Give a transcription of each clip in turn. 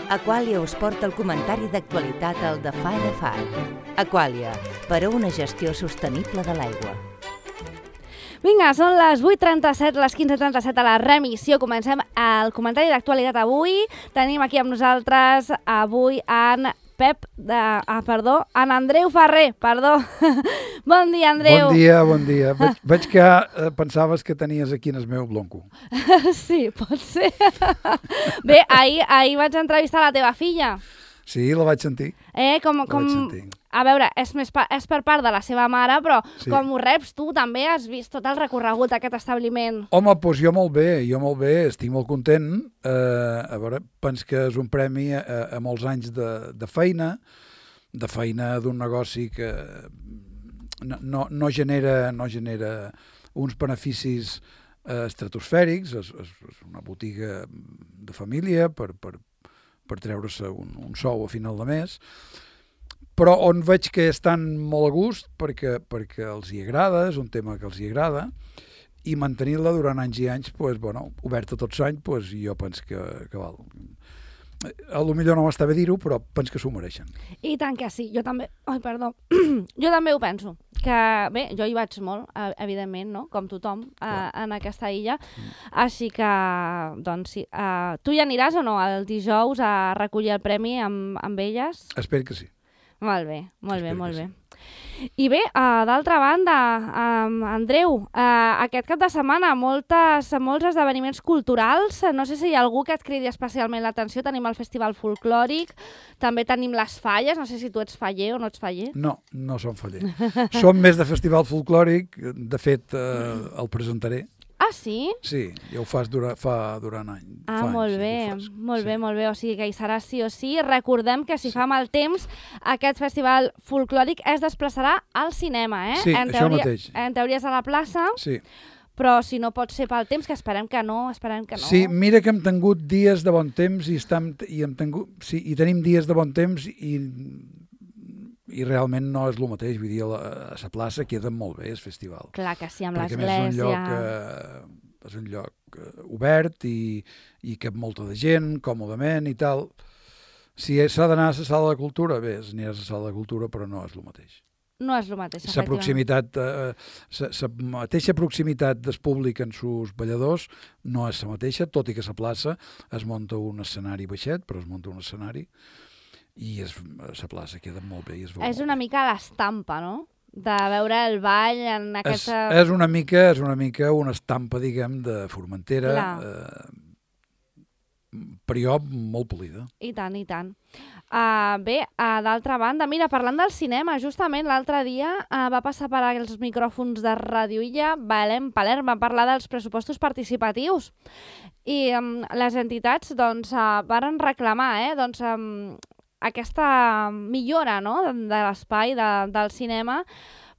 Aquàlia us porta el comentari d'actualitat al de Far a Far. Aquàlia, per a una gestió sostenible de l'aigua. Vinga, són les 8:37, les 15:37 a la remissió. Comencem el comentari d'actualitat avui. Tenim aquí amb nosaltres avui en en Andreu Ferrer, perdó. Bon dia, Andreu. Bon dia. Veig que pensaves que tenies aquí en el meu blonco. Sí, pot ser. Bé, ahir vaig entrevistar la teva filla. Sí, la vaig sentir. Vaig sentir. A veure, és per part de la seva mare, però sí. Com ho reps tu, també has vist tot el recorregut d'aquest establiment? Home, doncs jo molt bé, estic molt content. A veure, penso que és un premi a molts anys de feina d'un negoci que no genera uns beneficis estratosfèrics, és una botiga de família per treure-se un sou a final de mes, però on veig que estan molt a gust perquè els hi agrada, és un tema que els hi agrada, i mantenir-la durant anys i anys, oberta tots anys, jo penso que val. A lo millor no m'està bé dir-ho, però penso que s'ho mereixen. I tant que sí, jo també ho penso. Que bé, jo hi vaig molt, evidentment, no? Com tothom, en aquesta illa. Així que, doncs sí. Tu hi aniràs o no el dijous a recollir el premi amb elles? Espero que sí. Molt bé. I bé, d'altra banda, Andreu, aquest cap de setmana molts esdeveniments culturals. No sé si hi ha algú que et cridi especialment l'atenció. Tenim el Festival Folclòric, també tenim les falles. No sé si tu ets faller o no ets faller. No som faller. Som més de Festival Folclòric. De fet, el presentaré. Ah, sí? Sí, ja ho fa durant anys. Molt bé. O sigui que hi serà sí o sí. Recordem que si fa mal temps, aquest festival folclòric es desplaçarà al cinema, eh? Sí, això mateix. En teoria és a la plaça, sí. Però si no pot ser pel temps, que esperem que no. Sí, mira que hem tingut dies de bon temps i tenim dies de bon temps i realment no és el mateix, vull dir, a la plaça queda molt bé el festival. Clar que sí, amb l'església. És un lloc obert i cap molta de gent, còmodament i tal. Si s'ha d'anar a la sala de cultura, bé, aniràs a la sala de cultura, però no és el mateix. No és el mateix, efectivament. La mateixa proximitat del públic en sus balladors no és la mateixa, tot i que a la plaça es munta un escenari baixet, però es munta un escenari i la plaça queda molt bé i es veu És una mica l'estampa, no? De veure el ball en aquesta... És una mica una estampa, diguem, de Formentera, però molt polida. I tant. Bé, d'altra banda, mira, parlant del cinema, justament l'altre dia va passar per els micròfons de Ràdio Illa Belém Palerm, va parlar dels pressupostos participatius i les entitats varen reclamar aquesta millora, no?, de l'espai del cinema,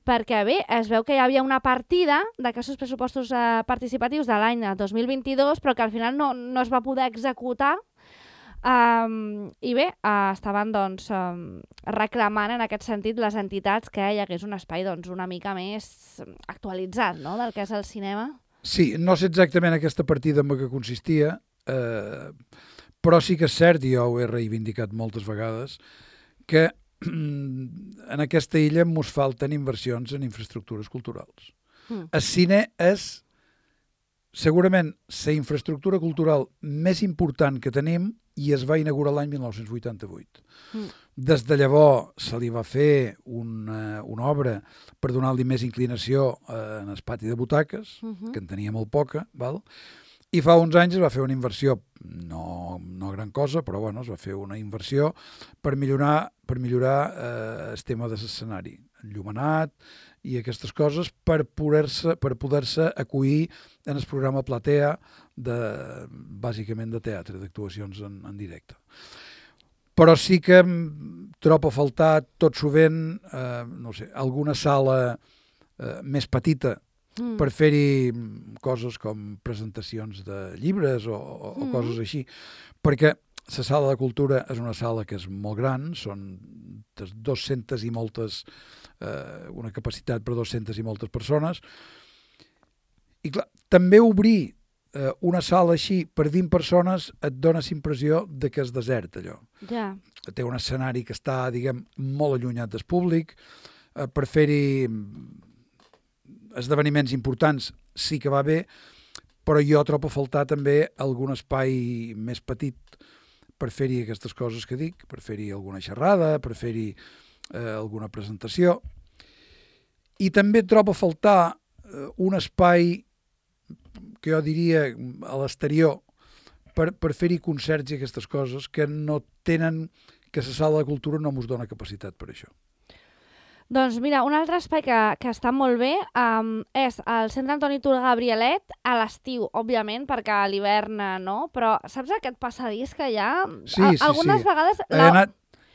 perquè bé, es veu que hi havia una partida d'aquests pressupostos participatius de l'any 2022, però que al final no es va poder executar. I bé, estaven reclamant en aquest sentit les entitats que hi hagués un espai una mica més actualitzat, no?, del que és el cinema. Sí, no sé exactament aquesta partida en què consistia, però sí que és cert, i jo ho he reivindicat moltes vegades, que en aquesta illa ens falten inversions en infraestructures culturals. El cine és segurament la infraestructura cultural més important que tenim i es va inaugurar l'any 1988. Des de llavors se li va fer una obra per donar-li més inclinació en el pati de butaques, que en tenia molt poca, val? I fa uns anys es va fer una inversió, no gran cosa, però es va fer una inversió per millorar el tema de l'escenari, enllumenat i aquestes coses per poder-se acollir en el programa Platea, bàsicament de teatre, d'actuacions en directe. Però sí que trobo a faltar tot sovint, alguna sala més petita per fer-hi coses com presentacions de llibres o coses així, perquè la sala de cultura és una sala que és molt gran, són 200 i moltes, una capacitat per 200 i moltes persones, i clar, també obrir una sala així per 20 persones et dona la impressió de que és desert, allò. Ja. Té un escenari que està, diguem, molt allunyat del públic. Per fer-hi esdeveniments importants sí que va bé, però jo trobo a faltar també algun espai més petit per fer-hi aquestes coses que dic, per fer-hi alguna xerrada, per fer-hi alguna presentació. I també trobo a faltar un espai que jo diria a l'exterior per fer-hi concerts i aquestes coses que no tenen, que la sala de cultura no ens dona capacitat per això. Doncs mira, un altre espai que està molt bé és el Centre Antoni Tura Gabrielet a l'estiu, òbviament, perquè a l'hivern no, però saps aquest passadís que hi ha? Sí, algunes vegades...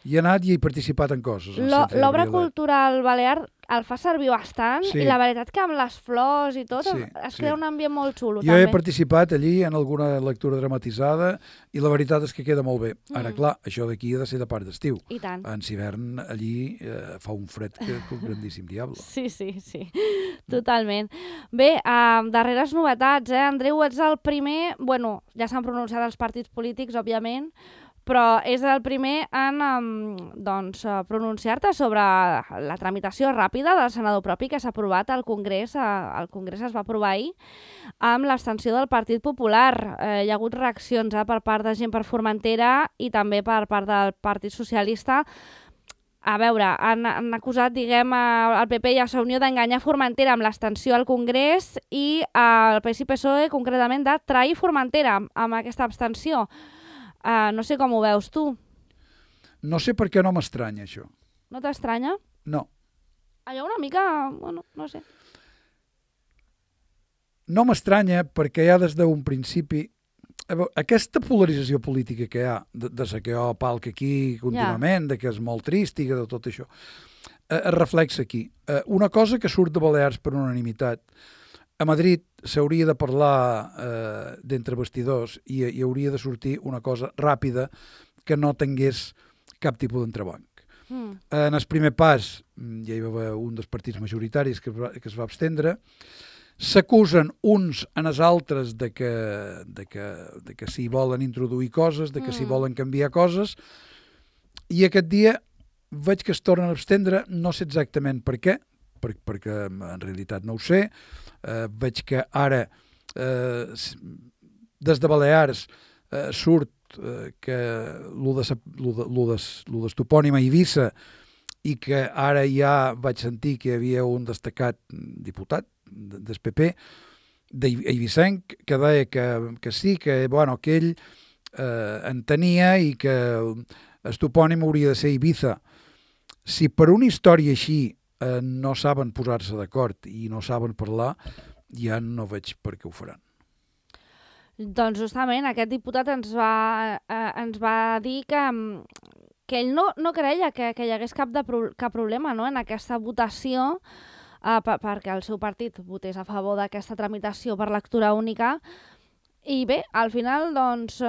Hi he anat i he participat en coses. L'obra cultural balear el fa servir bastant i la veritat que amb les flors i tot es crea un ambient molt xulo. Jo he participat allí en alguna lectura dramatitzada i la veritat és que queda molt bé. Ara, clar, això d'aquí ha de ser de part d'estiu. I tant. En hivern allí fa un fred que un grandíssim diable. Sí. Totalment. Bé, darreres novetats, Andreu, ets el primer... Bueno, ja s'han pronunciat els partits polítics, òbviament, però és el primer en pronunciar-te sobre la tramitació ràpida del senador propi que s'ha aprovat al Congrés. El Congrés es va aprovar ahir amb l'abstenció del Partit Popular. Hi ha hagut reaccions per part de gent per Formentera i també per part del Partit Socialista. A veure, han acusat, diguem, el PP i a Unió d'enganyar Formentera amb l'abstenció al Congrés i el PS i PSOE, concretament, de trair Formentera amb aquesta abstenció. No sé com ho veus tu. No sé per què no m'estranya, això. No t'estranya? No. Hi ha una mica... Bueno, no sé. No m'estranya perquè ja des d'un principi... Aquesta polarització política que hi ha, de saquear palc aquí contínuament, de que és molt trist i de tot això, es reflexa aquí. Una cosa que surt de Balears per unanimitat. A Madrid s'hauria de parlar d'entre vestidors i hi hauria de sortir una cosa ràpida que no tingués cap tipus d'entrebanc. En el primer pas, ja hi va haver un dels partits majoritaris que es va abstendre, s'acusen uns en els altres de que s'hi volen introduir coses, de que s'hi volen canviar coses, i aquest dia veig que es tornen a abstendre, no sé exactament per què, perquè en realitat no ho sé. Veig que ara des de Balears surt que lo d'estopònim a Eivissa i que ara ja vaig sentir que hi havia un destacat diputat del PP d'Eivissenc que deia que sí, que bueno, que ell entenia i que el topònim hauria de ser Eivissa. Si per una història així no saben posar-se d'acord i no saben parlar, ja no veig per què ho faran. Doncs justament aquest diputat ens va dir que ell no creia que hi hagués cap problema en aquesta votació perquè el seu partit votés a favor d'aquesta tramitació per lectura única i bé, al final doncs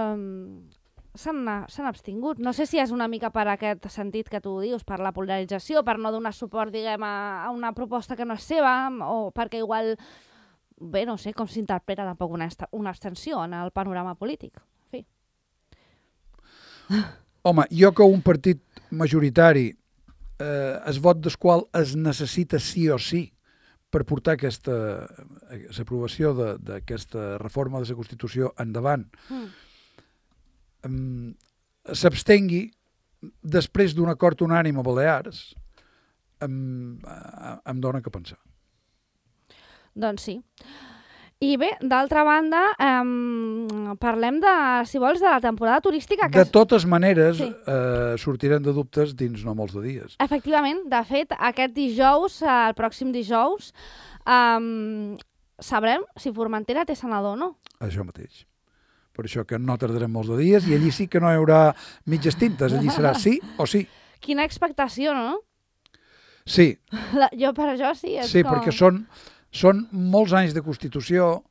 s'han abstingut. No sé si és una mica per aquest sentit que tu dius, per la polarització, per no donar suport, diguem, a una proposta que no és seva, o perquè igual, bé, no sé com s'interpreta tampoc una abstenció en el panorama polític. En fi. Home, jo que un partit majoritari, el vot del qual es necessita sí o sí per portar l'aprovació d'aquesta reforma de la Constitució endavant, s'abstengui després d'un acord unànime a Balears em dona que pensar. Doncs sí. I bé, d'altra banda, parlem si vols, de la temporada turística. De totes maneres, sortirem de dubtes dins no molts de dies. Efectivament, de fet, aquest dijous, el pròxim dijous, sabrem si Formentera té senador o no. Això mateix. Per això que no tardarem molts de dies i allí sí que no hi haurà mitges tintes, allí serà sí o sí. Quina expectació, no? Sí. Jo per això sí. Sí, perquè són molts anys de Constitució,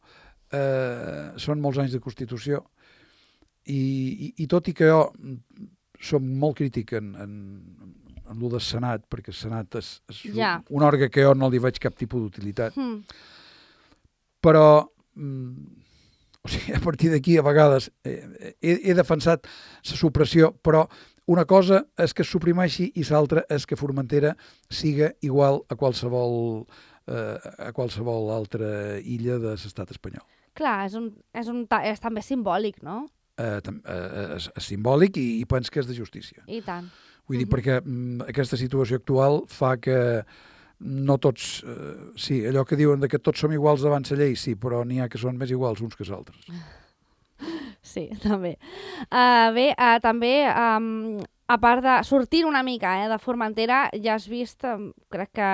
i tot i que jo som molt crític en el del Senat, perquè el Senat és un òrgan que jo no li veig cap tipus d'utilitat, però O sigui, a partir d'aquí, a vegades, he defensat la supressió, però una cosa és que es suprimeixi i l'altra és que Formentera siga igual a qualsevol altra illa de l'estat espanyol. Clar, és també simbòlic, no? És simbòlic i penso que és de justícia. I tant. Vull dir, perquè aquesta situació actual fa que no tots... sí, allò que diuen que tots som iguals davant la llei, sí, però n'hi ha que són més iguals uns que els altres. Sí, també. També, a part de sortir una mica de Formentera, ja has vist, crec que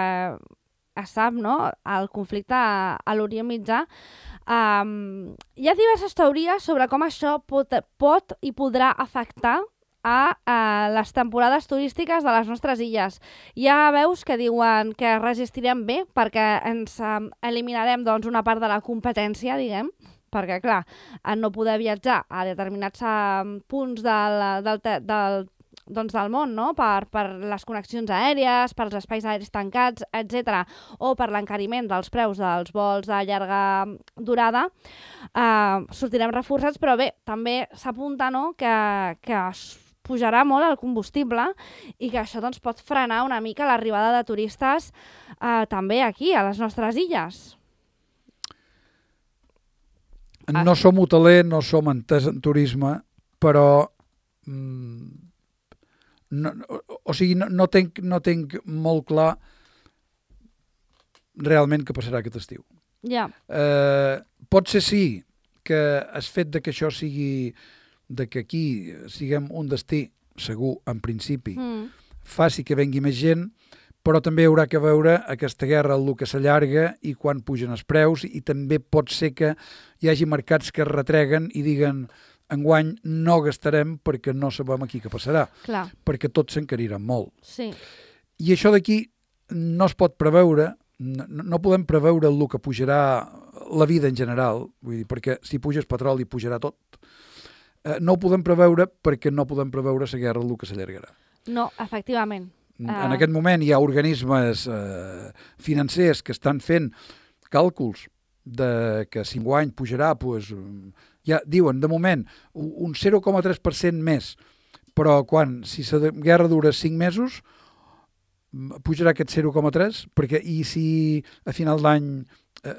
es sap, no?, el conflicte a l'Orient Mitjà. Hi ha diverses teories sobre com això pot i podrà afectar a les temporades turístiques de les nostres illes. Hi ha veus que diuen que resistirem bé perquè ens eliminarem una part de la competència, diguem, perquè, clar, no poder viatjar a determinats punts del món, no?, per les connexions aèries, pels espais aèris tancats, etc., o per l'encariment dels preus dels vols de llarga durada, sortirem reforçats, però bé, també s'apunta, no?, que pujarà molt el combustible i que això pot frenar una mica l'arribada de turistes també aquí, a les nostres illes. No som hoteler, no som entès en turisme, però no tenc molt clar realment què passarà aquest estiu. Ja. Pot ser sí que el fet de que això sigui, de que aquí siguem un destí segur, en principi, faci que vengui més gent, però també haurà que veure aquesta guerra el que s'allarga i quan pugen els preus, i també pot ser que hi hagi mercats que es retreguen i diguen enguany no gastarem perquè no sabem aquí què passarà. Clar. Perquè tot s'encarirà molt. Sí. I això d'aquí no es pot preveure, no podem preveure el que pujarà la vida en general, vull dir, perquè si puja el petroli pujarà tot. No ho podem preveure perquè no podem preveure la guerra el que s'allargarà. No, efectivament. En aquest moment hi ha organismes financers que estan fent càlculs de que si enguany pujarà, doncs, ja diuen, de moment, un 0,3% més, però si la guerra dura 5 mesos, pujarà aquest 0,3%, perquè i si a final d'any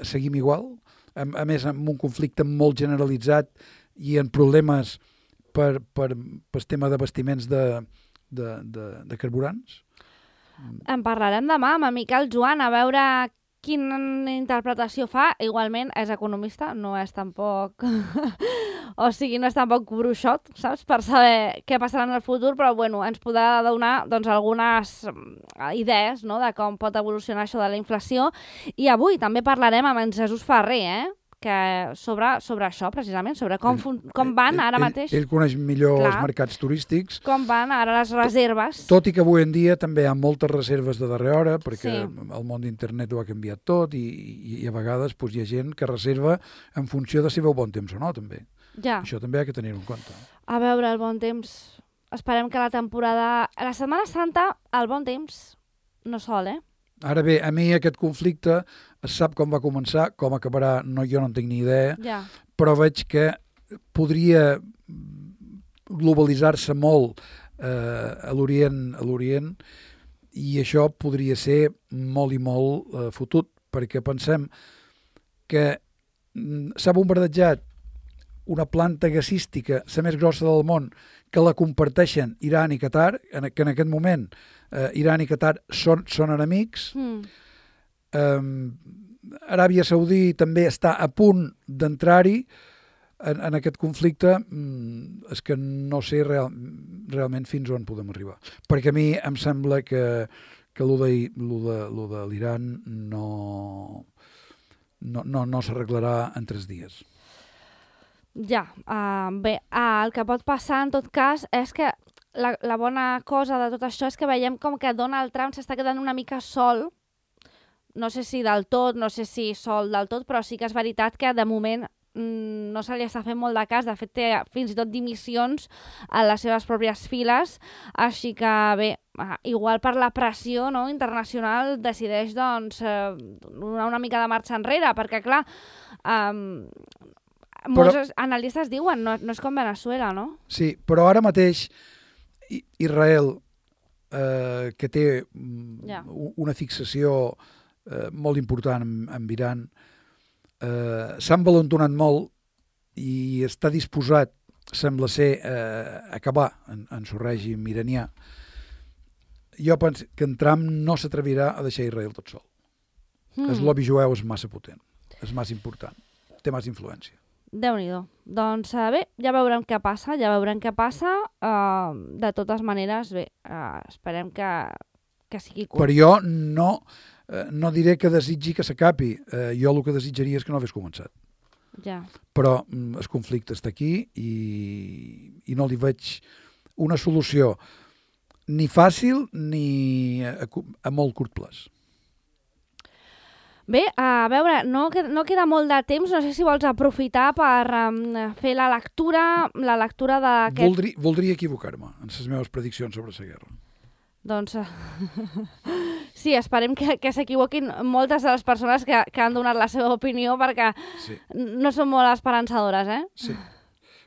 seguim igual, a més amb un conflicte molt generalitzat i en problemes per tema d'abastiments de carburants? En parlarem demà amb en Miquel Joan a veure quina interpretació fa. Igualment és economista, no és tampoc o sigui, no és tampoc bruixot, saps, per saber què passarà en el futur, però bueno, ens podrà donar algunes idees, no?, de com pot evolucionar això de la inflació. I avui també parlarem amb en Jesús Ferrer, que sobre això, precisament, sobre com van ara mateix... Ell coneix millor els mercats turístics. Com van ara les reserves. Tot i que avui en dia també hi ha moltes reserves de darrera hora, perquè el món d'internet ho ha canviat tot i a vegades hi ha gent que reserva en funció de si veu bon temps o no, també. Ja. Això també ha de tenir en compte. A veure, el bon temps... Esperem que la temporada... A la Setmana Santa, el bon temps no sol, Ara bé, a mi aquest conflicte es sap com va començar, com acabarà, jo no en tinc ni idea, però veig que podria globalitzar-se molt a l'Orient i això podria ser molt i molt fotut, perquè pensem que s'ha bombardejat una planta gasística, la més grossa del món, que la comparteixen Iran i Qatar, que en aquest moment Iran i Qatar són enemics. Aràbia Saudí també està a punt d'entrar-hi en aquest conflicte. És que no sé realment fins on podem arribar. Perquè a mi em sembla que lo de l'Iran no s'arreglarà en 3 dies. Ja, bé, el que pot passar en tot cas és que la bona cosa de tot això és que veiem com que Donald Trump s'està quedant una mica sol, no sé si del tot, no sé si sol del tot, però sí que és veritat que de moment no se li està fent molt de cas. De fet, té fins i tot dimissions a les seves pròpies files, així que bé, igual per la pressió, no, internacional decideix donar una mica de marxa enrere, perquè clar, molts analistes diuen, no és com Venezuela, no? Sí, però ara mateix Israel, que té una fixació molt important amb Iran, s'ha envalentonat molt i està disposat, sembla ser, a acabar en el règim iranià. Jo penso que en Trump no s'atrevirà a deixar Israel tot sol. El lobby jueu és massa potent, és massa important, té massa influència. Déu-n'hi-do. Doncs bé, ja veurem què passa, de totes maneres, bé, esperem que sigui curt. Però jo no diré que desitgi que s'acabi, jo el que desitjaria és que no hagués començat. Ja. Però el conflicte està aquí i no li veig una solució ni fàcil ni a molt curt plaç. Bé, a veure, no queda molt de temps, no sé si vols aprofitar per fer la lectura d'aquest... Voldria equivocar-me en les meves prediccions sobre la guerra. Doncs sí, esperem que s'equivoquin moltes de les persones que han donat la seva opinió, perquè no són molt esperançadores, eh? Sí.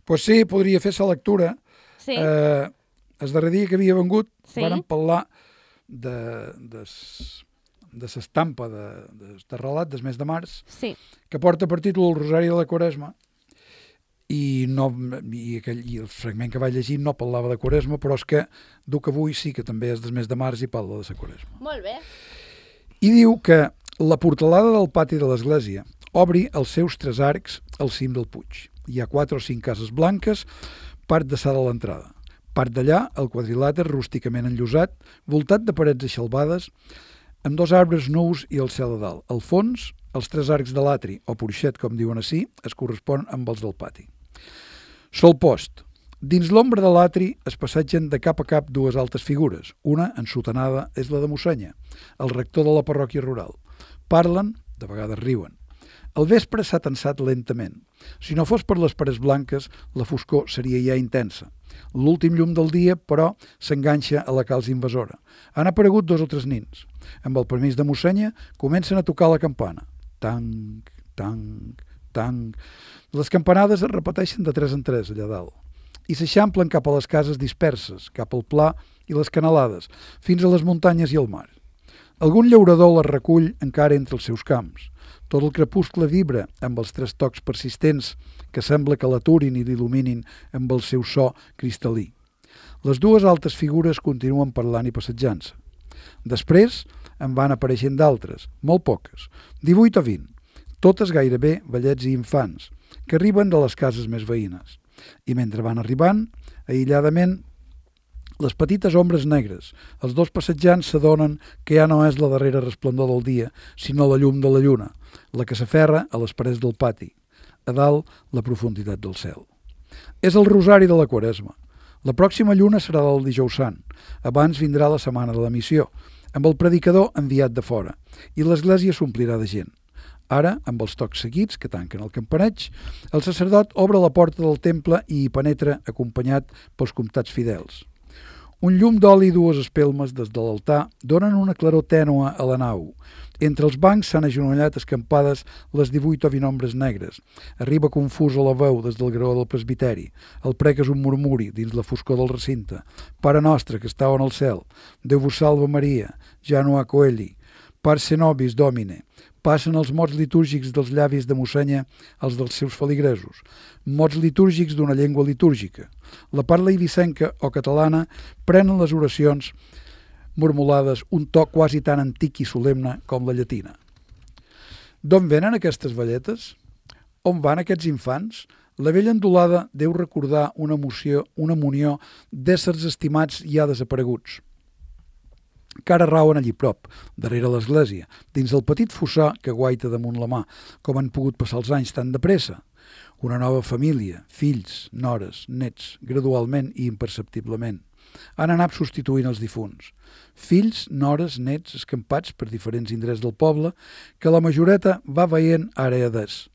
Pues sí, podria fer la lectura. Sí. El darrer dia que havia vengut vàrem parlar de l'estampa de relat del mes de març, que porta per títol El Rosari de la Quaresma, i el fragment que vaig llegir no parlava de Quaresma, però és que duc avui sí que també és del mes de març i parla de la Quaresma. Molt bé. I diu que la portalada del pati de l'església obri els seus 3 arcs al cim del puig. Hi ha 4 o 5 cases blanques, part d'alçada a l'entrada. Part d'allà, el quadrilàter rústicament enllosat, voltat de parets eixalbades, amb 2 arbres nous i el cel a dalt. Al fons, els 3 arcs de l'atri, o porxet, com diuen ací, es corresponen amb els del pati. Sol post. Dins l'ombra de l'atri es passegen de cap a cap 2 altes figures. Una, ensotanada, és la de Mossenya, el rector de la parròquia rural. Parlen, de vegades riuen. El vespre s'ha tensat lentament. Si no fos per les parets blanques, la foscor seria ja intensa. L'últim llum del dia, però, s'enganxa a la calç invasora. Han aparegut 2 o 3 nins. Amb el permís de Mossenya, comencen a tocar la campana. Tanc, tanc, tanc. Les campanades es repeteixen de 3 en 3 allà dalt i s'eixamplen cap a les cases disperses, cap al pla i les canalades, fins a les muntanyes i el mar. Algun llaurador les recull encara entre els seus camps. Tot el crepuscle vibra amb els 3 tocs persistents que sembla que l'aturin i l'il·luminin amb el seu so cristal·lí. Les 2 altes figures continuen parlant i passejant-se. Després en van apareixent d'altres, molt poques, 18 o 20, totes gairebé vellets i infants, que arriben de les cases més veïnes. I mentre van arribant, aïlladament, les petites ombres negres, els 2 passejants s'adonen que ja no és la darrera resplendor del dia, sinó la llum de la lluna, la que s'aferra a les parets del pati, a dalt la profunditat del cel. És el Rosari de la Quaresma. La pròxima lluna serà del Dijous Sant. Abans vindrà la setmana de la missió, amb el predicador enviat de fora, i l'església s'omplirà de gent. Ara, amb els tocs seguits que tanquen el campaneig, el sacerdot obre la porta del temple i hi penetra acompanyat pels comptats fidels. Un llum d'oli i 2 espelmes des de l'altar donen una claror tènua a la nau. Entre els bancs s'han agenollat escampades les 18 o 20 ombres negres. Arriba confusa la veu des del graó del presbiteri. El prec és un murmuri dins la foscor del recinte. Pare nostre, que estàu en el cel, Déu vos salve Maria, Janua Coeli, Parce nobis Domine. Passen els mots litúrgics dels llavis de Mossenya als dels seus feligresos, mots litúrgics d'una llengua litúrgica. La parla eivissenca o catalana prenen les oracions mormolades un to quasi tan antic i solemne com la llatina. D'on venen aquestes velletes? On van aquests infants? La vella endolada deu recordar una munió d'éssers estimats ja desapareguts, que ara rauen allí prop, darrere l'església, dins el petit fossar que guaita damunt la mà, com han pogut passar els anys tan de pressa. Una nova família, fills, nores, nets, gradualment i imperceptiblement. Han anat substituint els difunts. Fills, nores, nets, escampats per diferents indrets del poble, que la majoreta va veient ara i adés.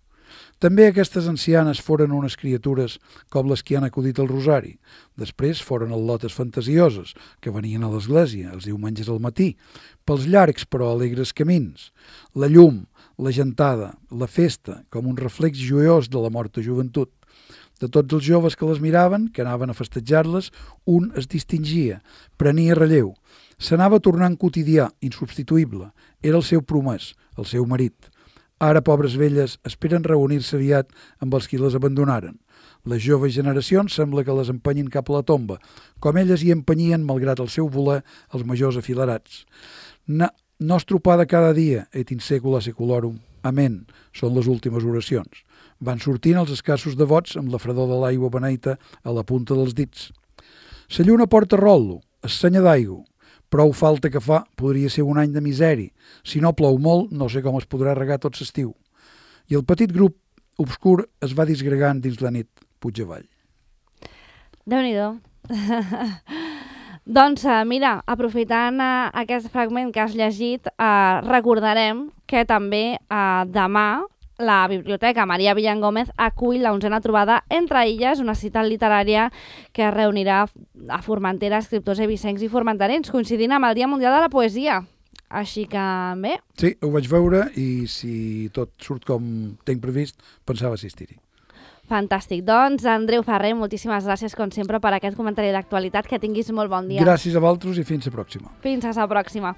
També aquestes ancianes foren unes criatures com les que han acudit al Rosari. Després foren al·lotes fantasioses, que venien a l'església els diumenges al matí, pels llargs però alegres camins. La llum, la gentada, la festa, com un reflex joiós de la morta joventut. De tots els joves que les miraven, que anaven a festejar-les, un es distingia, prenia relleu. S'anava tornant quotidià, insubstituïble. Era el seu promès, el seu marit. Ara, pobres velles, esperen reunir-se aviat amb els qui les abandonaren. Les joves generacions sembla que les empenyin cap a la tomba, com elles hi empenyien, malgrat el seu voler, els majors afilerats. Nos trupada cada dia, et in secula seculorum. Amén, són les últimes oracions. Van sortint els escassos devots amb la fredor de l'aigua beneita a la punta dels dits. La lluna porta rol·lo, essenya d'aigua. Prou falta que fa, podria ser un any de misèria. Si no plou molt, no sé com es podrà regar tot l'estiu. I el petit grup obscur es va disgregant dins la nit, puig avall. Déu-n'hi-do. Doncs mira, aprofitant aquest fragment que has llegit, recordarem que també demà la Biblioteca Maria Villan Gómez acull la 11a trobada Entre Illes, una cita literària que reunirà a Formentera escriptors eivissencs i formenterens, coincidint amb el Dia Mundial de la Poesia. Així que bé. Sí, ho vaig veure i si tot surt com tinc previst, pensava assistir-hi. Fantàstic. Doncs, Andreu Ferrer, moltíssimes gràcies, com sempre, per aquest comentari d'actualitat. Que tinguis molt bon dia. Gràcies a vosaltres i fins la pròxima. Fins a la pròxima.